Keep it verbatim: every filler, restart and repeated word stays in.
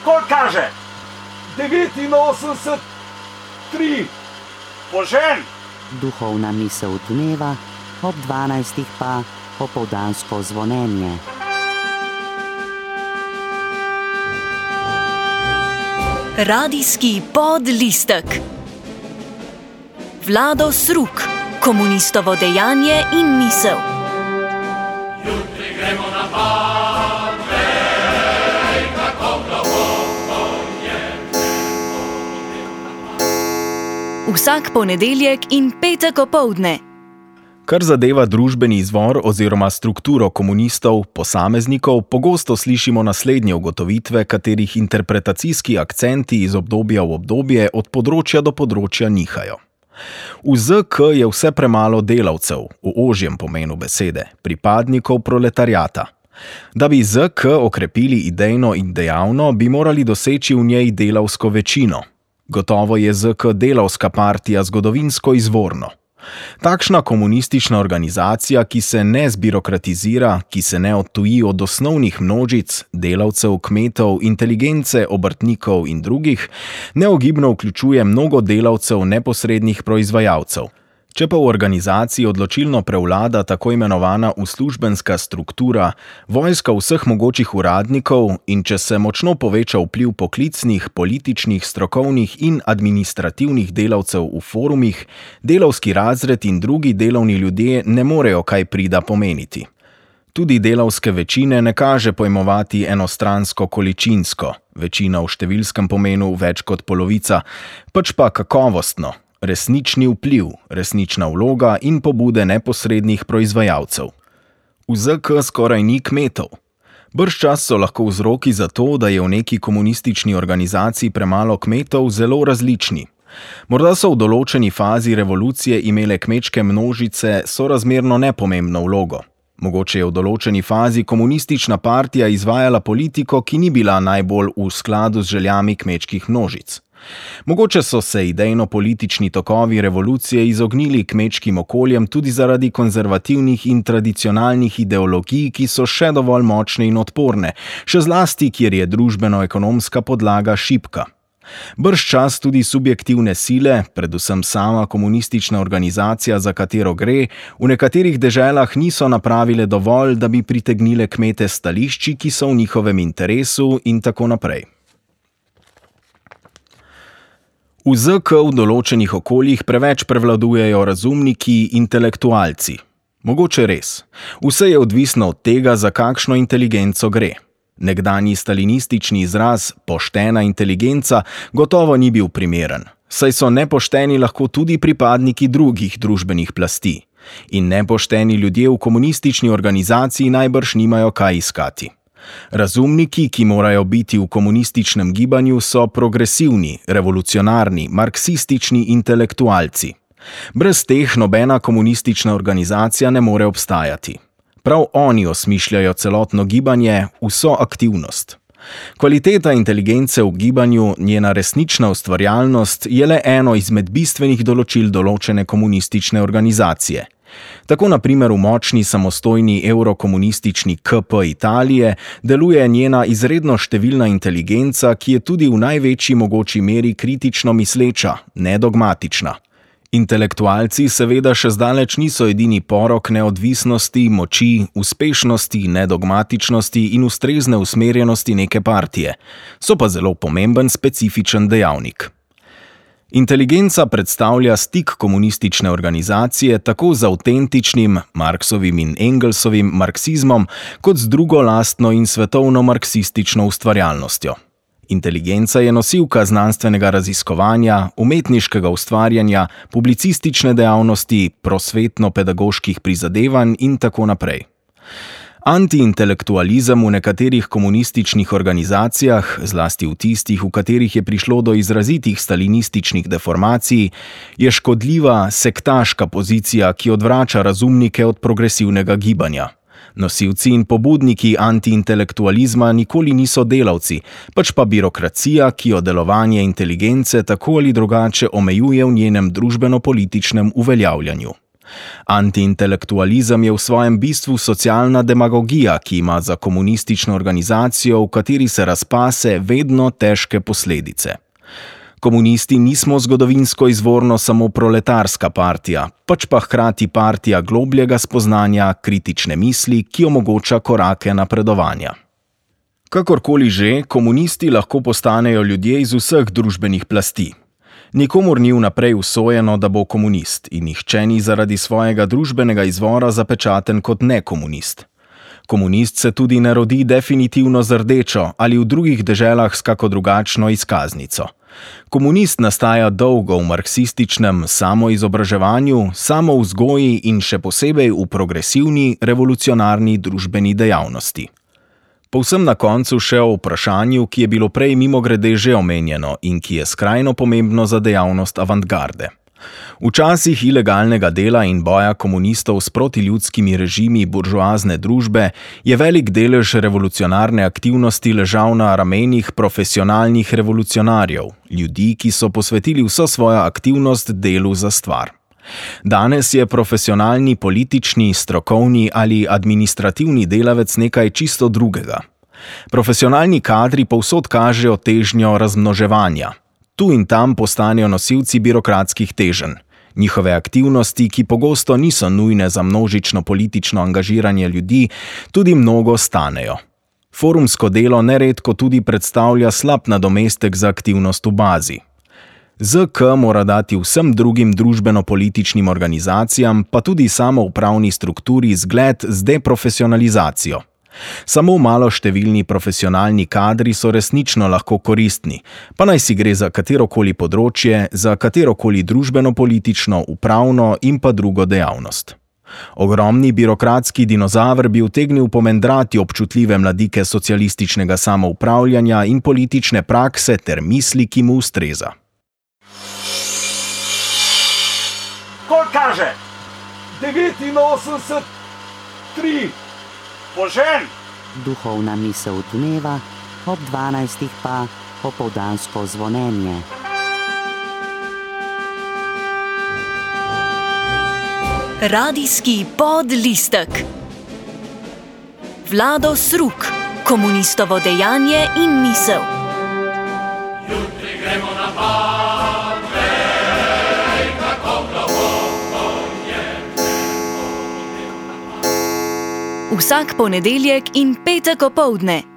Koliko kaže? devetinosemdeset tri. Požen! Duhovna misel dneva, ob dvanajstih pa popoldansko zvonjenje. Radijski podlistek. Vlado Sruk, komunistovo dejanje in misel. Jutri gremo na Pave, kako globoko je nebo. Vsak ponedeljek in petek opoldne. Kar zadeva družbeni izvor oziroma strukturo komunistov, posameznikov, pogosto slišimo naslednje ugotovitve, katerih interpretacijski akcenti iz obdobja v obdobje od področja do področja nihajo. V Z K je vse premalo delavcev, v ožjem pomenu besede, pripadnikov proletariata. Da bi Z K okrepili idejno in dejavno, bi morali doseči v njej delavsko večino. Gotovo je Z K delavska partija zgodovinsko izvorno. Takšna komunistična organizacija, ki se ne zbirokratizira, ki se ne odtuji od osnovnih množic, delavcev, kmetov, inteligence, obrtnikov in drugih, neogibno vključuje mnogo delavcev neposrednih proizvajalcev. Če pa v organizaciji odločilno prevlada tako imenovana uslužbenska struktura, vojska vseh mogočih uradnikov in če se močno poveča vpliv poklicnih, političnih, strokovnih in administrativnih delavcev v forumih, delavski razred in drugi delovni ljudje ne morejo kaj prida pomeniti. Tudi delavske večine ne kaže pojmovati enostransko količinsko, večina v številskem pomenu več kot polovica, pač pa kakovostno. Resnični vpliv, resnična vloga in pobude neposrednih proizvajalcev. V Z K skoraj ni kmetov. Bržčas so lahko vzroki za to, da je v neki komunistični organizaciji premalo kmetov, zelo različni. Morda so v določeni fazi revolucije imele kmečke množice sorazmerno nepomembno vlogo. Mogoče je v določeni fazi komunistična partija izvajala politiko, ki ni bila najbolj v skladu z željami kmečkih množic. Mogoče so se idejno-politični tokovi revolucije izognili kmečkim okoljem tudi zaradi konzervativnih in tradicionalnih ideologij, ki so še dovolj močne in odporne, še zlasti, kjer je družbeno-ekonomska podlaga šibka. Bržčas tudi subjektivne sile, predvsem sama komunistična organizacija, za katero gre, v nekaterih deželah niso napravile dovolj, da bi pritegnile kmete stališči, ki so v njihovem interesu in tako naprej. V Z K v določenih okoljih preveč prevladujejo razumniki, intelektualci. Mogoče res. Vse je odvisno od tega, za kakšno inteligenco gre. Nekdanji stalinistični izraz poštena inteligenca gotovo ni bil primeren, saj so nepošteni lahko tudi pripadniki drugih družbenih plasti. In nepošteni ljudje v komunistični organizaciji najbrž nimajo kaj iskati. Razumniki, ki morajo biti v komunističnem gibanju, so progresivni, revolucionarni, marksistični intelektualci. Brez teh nobena komunistična organizacija ne more obstajati. Prav oni osmišljajo celotno gibanje, vso aktivnost. Kvaliteta inteligence v gibanju, njena resnična ustvarjalnost, je le eno izmed bistvenih določil določene komunistične organizacije. Tako na primer v močni samostojni evrokomunistični K P Italije deluje njena izredno številna inteligenca, ki je tudi v največji mogoči meri kritično misleča, nedogmatična. Intelektualci seveda še zdaleč niso edini porok neodvisnosti, moči, uspešnosti, nedogmatičnosti in ustrezne usmerjenosti neke partije. So pa zelo pomemben specifičen dejavnik. Inteligenca predstavlja stik komunistične organizacije tako z avtentičnim, Marksovim in Engelsovim marksizmom, kot z drugo lastno in svetovno marksistično ustvarjalnostjo. Inteligenca je nosilka znanstvenega raziskovanja, umetniškega ustvarjanja, publicistične dejavnosti, prosvetno-pedagoških prizadevanj in tako naprej. Antiintelektualizem v nekaterih komunističnih organizacijah, zlasti v tistih, v katerih je prišlo do izrazitih stalinističnih deformacij, je škodljiva, sektaška pozicija, ki odvrača razumnike od progresivnega gibanja. Nosilci in pobudniki antiintelektualizma nikoli niso delavci, pač pa birokracija, ki jo delovanje inteligence tako ali drugače omejuje v njenem družbeno-političnem uveljavljanju. Antiintelektualizem je v svojem bistvu socialna demagogija, ki ima za komunistično organizacijo, v kateri se razpase, vedno težke posledice. Komunisti nismo zgodovinsko izvorno samo proletarska partija, pač pa hkrati partija globljega spoznanja, kritične misli, ki omogoča korake napredovanja. Kakorkoli že, komunisti lahko postanejo ljudje iz vseh družbenih plasti. Nikomur ni vnaprej usojeno, da bo komunist, in nihče ni zaradi svojega družbenega izvora zapečaten kot nekomunist. Komunist se tudi ne rodi definitivno z rdečo ali v drugih deželah s kako drugačno izkaznico. Komunist nastaja dolgo v marksističnem samoizobraževanju, samovzgoji in še posebej v progresivni, revolucionarni družbeni dejavnosti. Povsem na koncu še o vprašanju, ki je bilo prej mimogrede že omenjeno in ki je skrajno pomembno za dejavnost avantgarde. V časih ilegalnega dela in boja komunistov s protiljudskimi režimi buržoazne družbe je velik delež revolucionarne aktivnosti ležal na ramenih profesionalnih revolucionarjev, ljudi, ki so posvetili vso svojo aktivnost delu za stvar. Danes je profesionalni politični, strokovni ali administrativni delavec nekaj čisto drugega. Profesionalni kadri povsod kažejo težnjo razmnoževanja. Tu in tam postanejo nosilci birokratskih teženj. Njihove aktivnosti, ki pogosto niso nujne za množično politično angažiranje ljudi, tudi mnogo stanejo. Forumsko delo neredko tudi predstavlja slab nadomestek za aktivnost v bazi. Z K mora dati vsem drugim družbeno-političnim organizacijam, pa tudi samoupravni strukturi zgled z deprofesionalizacijo. Samo maloštevilni profesionalni kadri so resnično lahko koristni, pa naj si gre za katerokoli področje, za katerokoli družbeno-politično, upravno in pa drugo dejavnost. Ogromni birokratski dinozaver bi utegnil pomendrati občutljive mladike socialističnega samoupravljanja in politične prakse ter misli, ki mu ustreza. Kol kaže? devetinosemdeset tri. Požen! Duhovna misel dneva, ob dvanajstih pa opoldansko zvonjenje. Radijski podlistek. Vlado Sruk, komunistovo dejanje in misel. Jutri gremo na pad, vej, kako globoko je Vsak ponedeljek in petek opoldne